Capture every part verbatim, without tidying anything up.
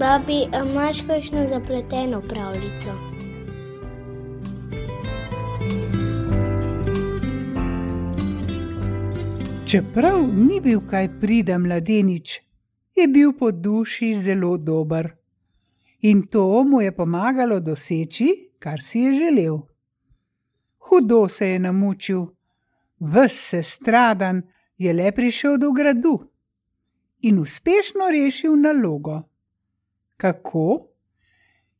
Babi, a imaš kakšno zapleteno pravljico? Čeprav ni bil kaj priden mladenič, je bil po duši zelo dober. In to mu je pomagalo doseči, kar si je želel. Hudo se je namučil, ves sestradan je le prišel do gradu in uspešno rešil nalogo. Kako?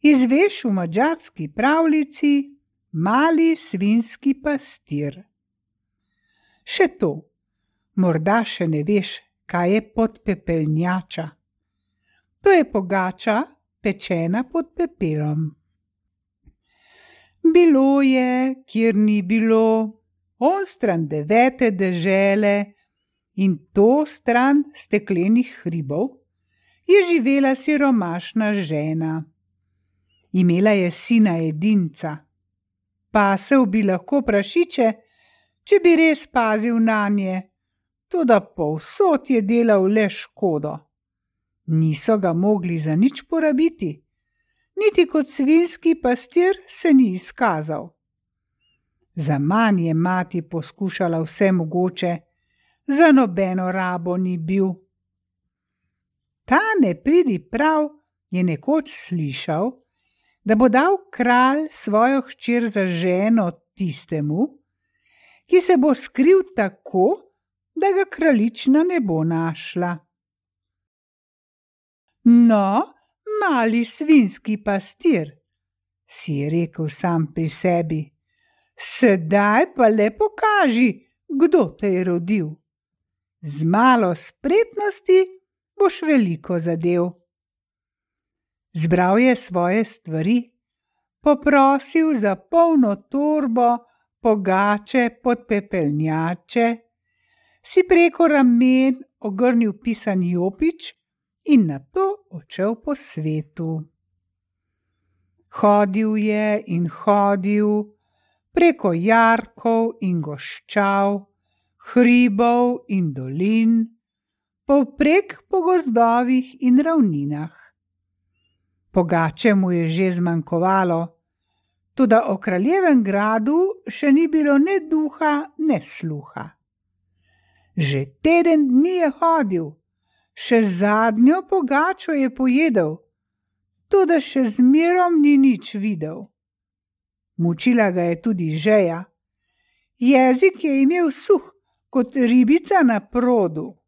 Izveš v madžarski pravljici Mali svinjski pastir. Še to, morda še ne veš, kaj je podpepelnjača. To je pogača, pečena pod pepelom. Bilo je, kjer ni bilo, onstran devete dežele in to stran steklenih hribov, je živela siromašna žena. Imela je sina edinca. Pasel bi lahko prašiče, če bi res pazil nanje, toda povsod je delal le škodo. Niso ga mogli za nič porabiti, niti kot svinjski pastir se ni izkazal. Zaman je mati poskušala vse mogoče, za nobeno rabo ni bil. Ta nepridiprav je nekoč slišal, da bo dal kralj svojo hčer za ženo tistemu, ki se bo skril tako, da ga kraljična ne bo našla. No, mali svinjski pastir, si je rekel sam pri sebi, sedaj pa le pokaži, kdo te je rodil. Z malo spretnosti boš veliko zadev. Zbral je svoje stvari, poprosil za polno torbo, pogače, podpepelnjače, si preko ramen ogrnil pisan jopič in nato odšel po svetu. Hodil je in hodil preko jarkov in goščav, hribov in dolin, povprek po gozdovih in ravninah. Pogače mu je že zmanjkovalo, toda o kraljevem gradu še ni bilo ne duha, ne sluha. Že teden dni je hodil, še zadnjo pogačo je pojedel, toda še zmerom ni nič videl. Mučila ga je tudi žeja. Jezik je imel suh, kot ribica na produ.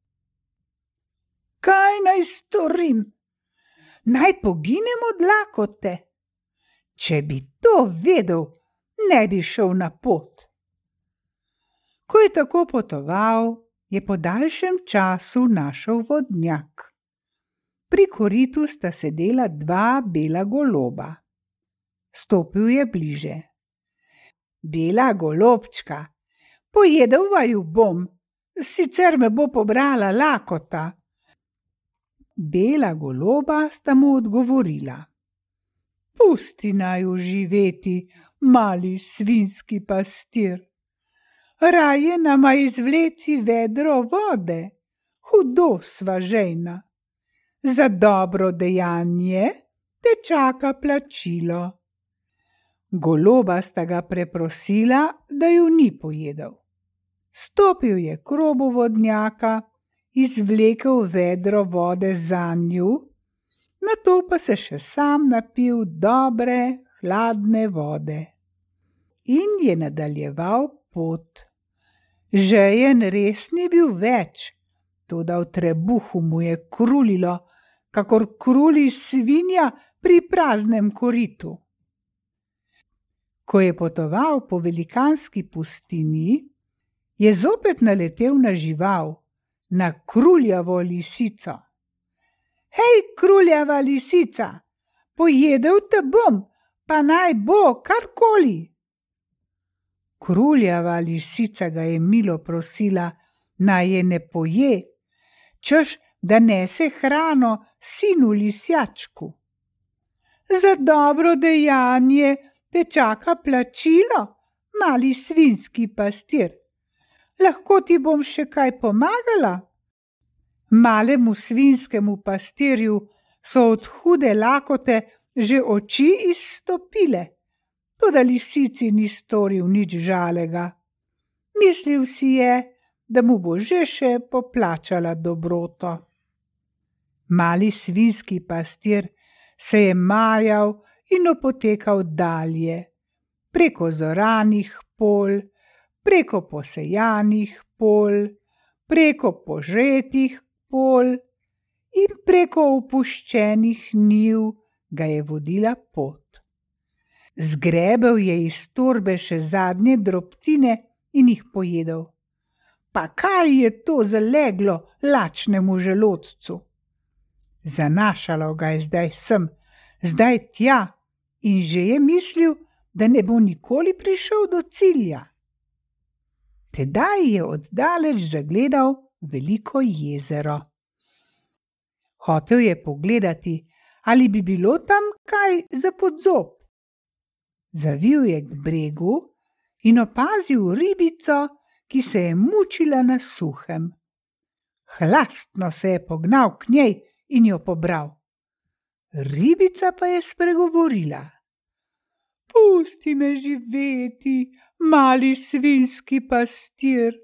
Kaj naj storim? Naj poginem od lakote? Če bi to vedel, ne bi šel na pot. Ko je tako potoval, je po daljšem času našel vodnjak. Pri koritu sta sedela dva bela goloba. Stopil je bliže. Bela golobčka, pojedel vaju bom, sicer me bo pobrala lakota. Bela goloba sta mu odgovorila. Pusti naju živeti, mali svinjski pastir. Raje nama izvleci vedro vode, hudo sva žejna. Za dobro dejanje te čaka plačilo. Goloba sta ga preprosila, da ju ni pojedel. Stopil je k robu vodnjaka, izvlekel vedro vode zanju, nato pa se še sam napil dobre, hladne vode. In je nadaljeval pot. Žejen res ni bil več, toda v trebuhu mu je krulilo, kakor kruli svinja pri praznem koritu. Ko je potoval po velikanski pustini, je zopet naletel na žival, na kruljavo lisico. Hej, kruljava lisica, pojedel te bom, pa naj bo karkoli. Kruljava lisica ga je milo prosila, naj je ne poje, češ da nese hrano sinu lisjačku. Za dobro dejanje te čaka plačilo, mali svinjski pastir. Lahko ti bom še kaj pomagala? Malemu svinjskemu pastirju so od hude lakote že oči izstopile, toda lisici ni storil nič žalega. Mislil si je, da mu bo že še poplačala dobroto. Mali svinjski pastir se je majal in opotekal dalje, preko zoranih polj, preko posejanih polj, preko požetih polj in preko opuščenih njiv ga je vodila pot. Zgrebel je iz torbe še zadnje drobtine in jih pojedel. Pa kaj je to zaleglo lačnemu želodcu? Zanašalo ga je zdaj sem, zdaj tja in že je mislil, da ne bo nikoli prišel do cilja. Tedaj je oddaleč zagledal veliko jezero. Hotel je pogledati, ali bi bilo tam kaj za podzob. Zavil je k bregu in opazil ribico, ki se je mučila na suhem. Hlastno se je pognal k njej in jo pobral. Ribica pa je spregovorila. Pusti me živeti, mali svinjski pastir,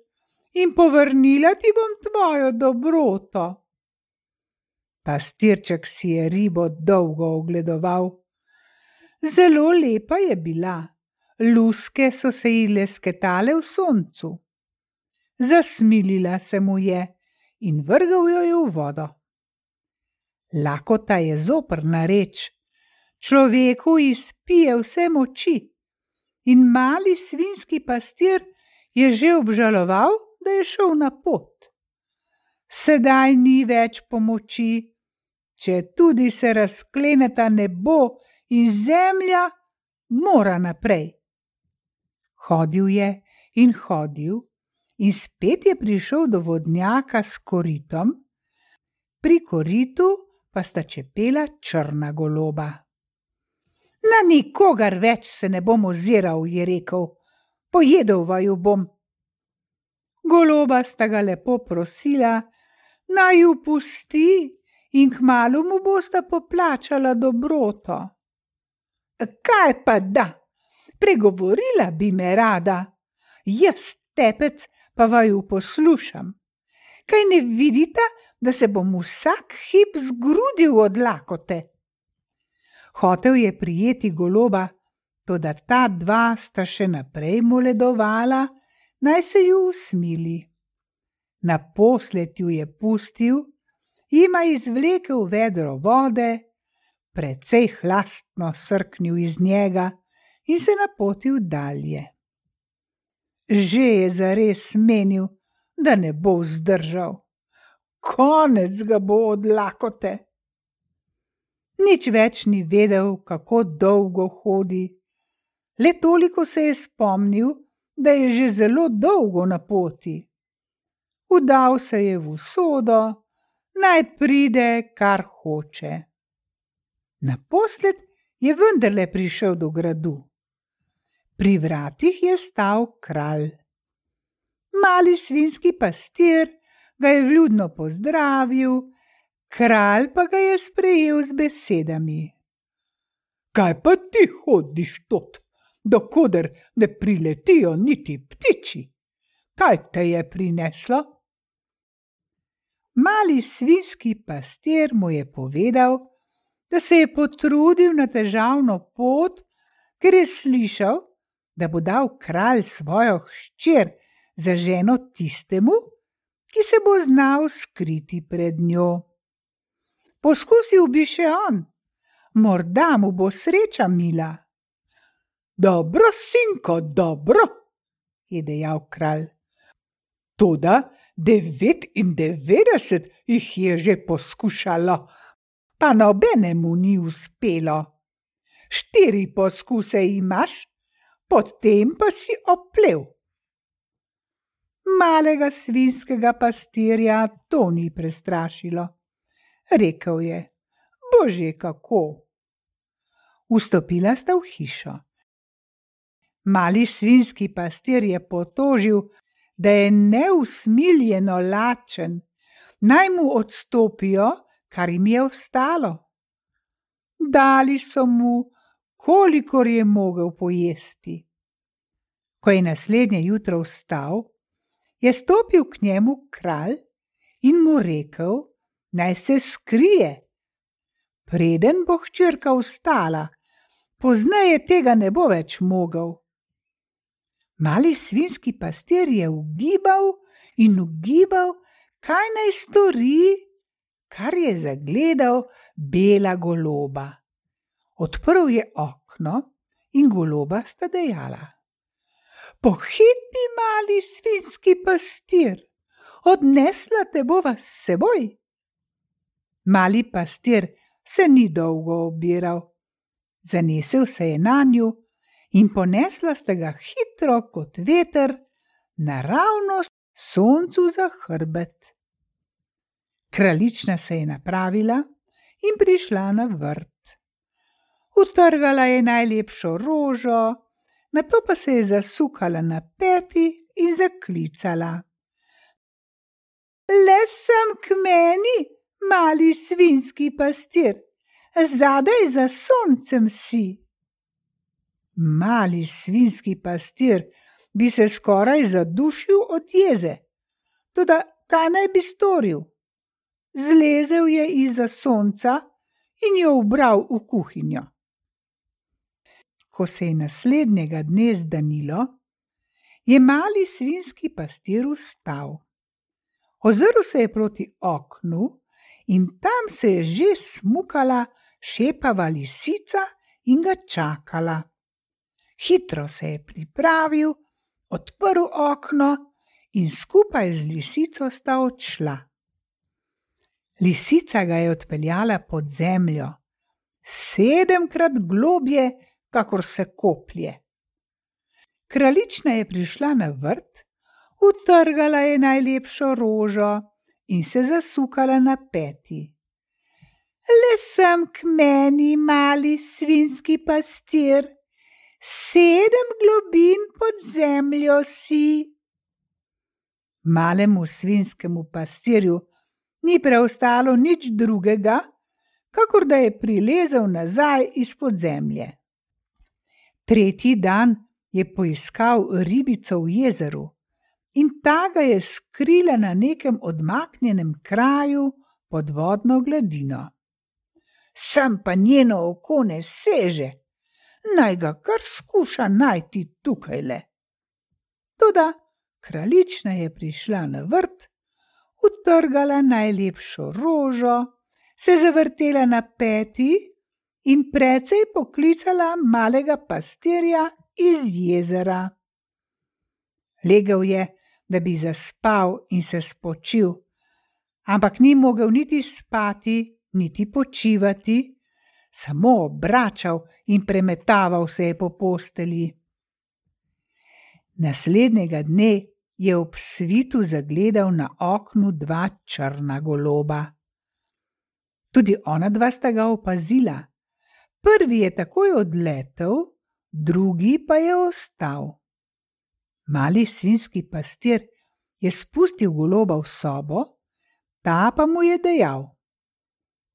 in povrnila ti bom tvojo dobroto. Pastirček si je ribo dolgo ogledoval. Zelo lepa je bila, luske so se ji lesketale v soncu. Zasmilila se mu je in vrgel jo je v vodo. Lakota je zoprna reč, človeku izpije vse moči in mali svinjski pastir je že obžaloval, da je šel na pot. Sedaj ni več pomoči, če tudi se razkleneta nebo in zemlja, mora naprej. Hodil je in hodil in spet je prišel do vodnjaka s koritom, pri koritu pa sta čepela črna goloba. Na nikogar več se ne bom oziral, je rekel, pojedel vaju bom. Goloba sta ga lepo prosila, naj ju pusti in kmalu mu bosta poplačala dobroto. Kaj pa da, pregovorila bi me rada, jaz tepec pa vaju poslušam. Kaj ne vidita, da se bom vsak hip zgrudil od lakote? Hotel je prijeti goloba, toda ta dva sta še naprej moledovala, naj se ju usmili. Naposled ju je pustil, jima izvlekel vedro vode, precej hlastno srknil iz njega in se napotil dalje. Že je zares menil, da ne bo vzdržal. Konec ga bo od lakote. Nič več ni vedel, kako dolgo hodi. Le toliko se je spomnil, da je že zelo dolgo na poti. Udal se je v usodo, naj pride, kar hoče. Naposled je vendarle prišel do gradu. Pri vratih je stal kralj. Mali svinjski pastir ga je vljudno pozdravil, kralj pa ga je sprejel z besedami. Kaj pa ti hodiš tot, dokoder ne priletijo niti ptiči? Kaj te je prineslo? Mali svinjski pastir mu je povedal, da se je potrudil na težavno pot, ker je slišal, da bo dal kralj svojo hčer za ženo tistemu, ki se bo znal skriti pred njo. Poskusil bi še on, morda mu bo sreča mila. Dobro, sinko, dobro, je dejal kralj. Toda devetindevetdeset jih je že poskušalo, pa nobenemu ni uspelo. Štiri poskuse imaš, potem pa si oplel. Malega svinjskega pastirja to ni prestrašilo. Rekel je, bože kako. Vstopila sta v hišo. Mali svinjski pastir je potožil, da je neusmiljeno lačen, naj mu odstopijo, kar jim je ostalo. dali so mu, kolikor je mogel pojesti. Ko je naslednje jutro vstal, je stopil k njemu kralj in mu rekel, naj se skrije. Preden bo hčerka vstala, pozneje tega ne bo več mogel. Mali svinjski pastir je ugibal in ugibal, kaj naj stori, kar je zagledal bela goloba. Odprl je okno in goloba sta dejala: Pohiti, mali svinjski pastir, odnesla te bova s seboj. Mali pastir se ni dolgo obiral. Zanesel se je nanju in ponesla sta ga hitro kot veter naravnost soncu za hrbet. Kraljična se je napravila in prišla na vrt. Utrgala je najlepšo rožo, nato pa se je zasukala na peti in zaklicala: Le sem k meni, mali svinjski pastir, zadaj za soncem si. Mali svinjski pastir bi se skoraj zadušil od jeze, toda kaj naj bi storil? Zlezel je izza sonca in jo ubral v kuhinjo. Ko se je naslednjega dne zdanilo, je mali svinjski pastir vstal. Ozrl se je proti oknu in tam se je že smukala šepava lisica in ga čakala. Hitro se je pripravil, odprl okno in skupaj z lisico sta odšla. Lisica ga je odpeljala pod zemljo, sedemkrat globje, kakor se koplje. Kraljična je prišla na vrt, utrgala je najlepšo rožo in se zasukala na peti. Le sem k meni, mali svinjski pastir, sedem globin pod zemljo si. Malemu svinjskemu pastirju ni preostalo nič drugega, kakor da je prilezel nazaj izpod zemlje. Tretji dan je poiskal ribico v jezeru in ta ga je skrila na nekem odmaknjenem kraju pod vodno gladino. Sem pa njeno oko ne seže, naj ga kar skuša najti tukajle. Toda kraljična je prišla na vrt, utrgala najlepšo rožo, se zavrtela na peti in precej poklicala malega pastirja iz jezera. Legel je, da bi zaspal in se spočil, ampak ni mogel niti spati, niti počivati, samo obračal in premetaval se je po postelji. Naslednjega dne je ob svitu zagledal na oknu dva črna goloba. Tudi ona dva sta ga opazila. Prvi je takoj odletel, drugi pa je ostal. Mali svinjski pastir je spustil goloba v sobo, ta pa mu je dejal: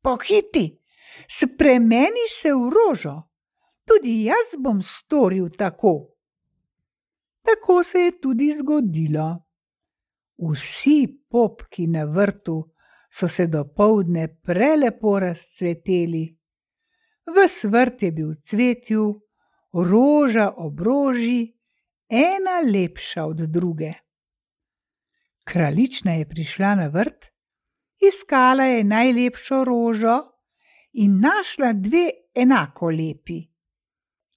Pohiti, spremeni se v rožo, tudi jaz bom storil tako. Tako se je tudi zgodilo. Vsi popki na vrtu so se dopoldne prelepo razcveteli. Ves vrt je bil v cvetju, roža ob roži, ena lepša od druge. Kraljična je prišla na vrt, iskala je najlepšo rožo in našla dve enako lepi.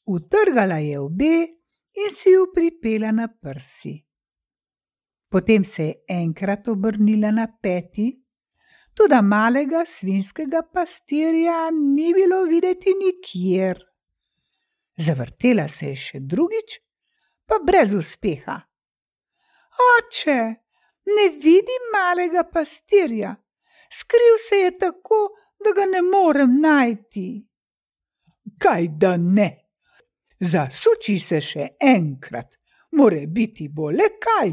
Utrgala je obe in si ju pripela na prsi. Potem se je enkrat obrnila na peti, toda malega svinjskega pastirja ni bilo videti nikjer. Zavrtela se je še drugič, pa brez uspeha. Oče, ne vidim malega pastirja, skril se je tako, da ga ne morem najti. Kaj da ne? Zasuči se še enkrat, more biti bo le kaj.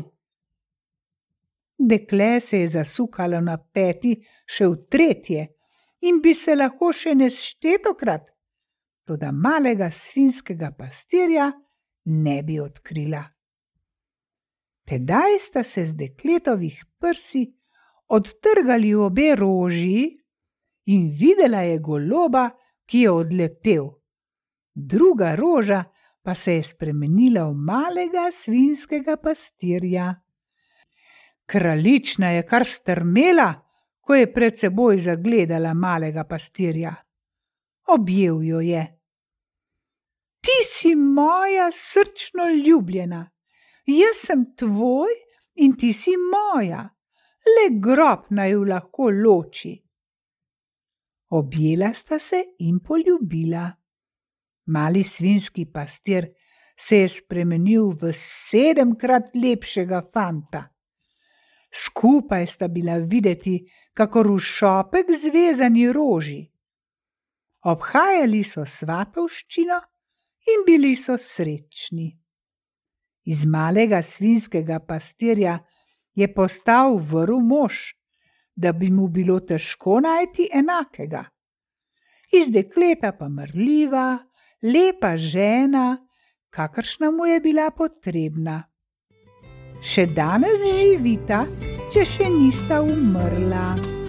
Dekle se je zasukalo na peti še v tretje in bi se lahko še neštetokrat, toda malega svinjskega pastirja ne bi odkrila. Tedaj sta se z dekletovih prsi odtrgali obe roži in videla je goloba, ki je odletel. Druga roža pa se je spremenila v malega svinjskega pastirja. Kraljična je kar strmela, ko je pred seboj zagledala malega pastirja. Objel jo je. Ti si moja srčno ljubljena, jaz sem tvoj in ti si moja, le grob naj ju lahko loči. Objela sta se in poljubila. Mali svinjski pastir se je spremenil v sedemkrat lepšega fanta. Skupaj sta bila videti, kakor v šopek zvezani roži. Obhajali so svatovščino in bili so srečni. Iz malega svinjskega pastirja je postal vrl mož, da bi mu bilo težko najti enakega. Iz dekleta pa marljiva, lepa žena, kakršna mu je bila potrebna. Še danes živita, če še nista umrla.